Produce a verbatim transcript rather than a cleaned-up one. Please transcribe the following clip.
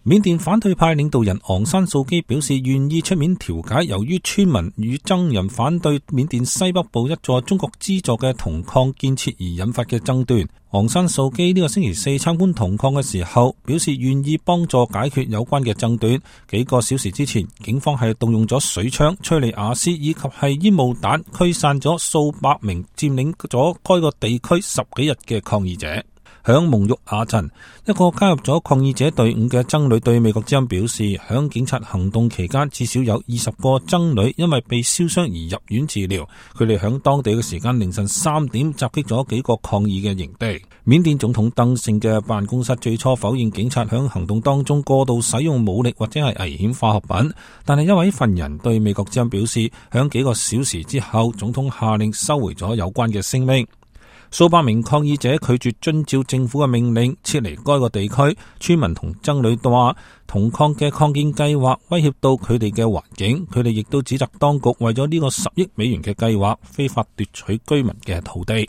緬甸反對派領導人昂山素基表示願意出面調解由於村民與僧人反對緬甸西北部一座中國資助嘅銅礦建設而引發嘅爭端。昂山素基呢個星期四參觀銅礦嘅時候表示願意幫助解決有關嘅爭端。幾個小時之前，警方係動用咗水槍、催淚瓦斯以及係煙霧彈驅散咗數百名佔領咗該個地區十幾日嘅抗議者。響蒙育亞鎮，一個加入咗抗議者隊伍嘅僧侶對美國之音表示，響警察行動期間至少有二十個僧侶因為被燒傷而入院治療。佢哋響當地嘅時間凌晨三點襲擊咗幾個抗議嘅營地。緬甸總統登盛嘅辦公室最初否認警察響行動當中過度使用武力或者係危險化學品，但係一位份人對美國之音表示，響幾個小時之後，總統下令收回咗有關嘅聲明。數百名抗議者拒絕遵照政府嘅命令撤離該個地區，村民同僧侶話銅礦嘅擴建計劃威脅到佢哋嘅環境，佢哋亦都指責當局為咗呢個十億美元嘅計劃非法奪取居民嘅土地。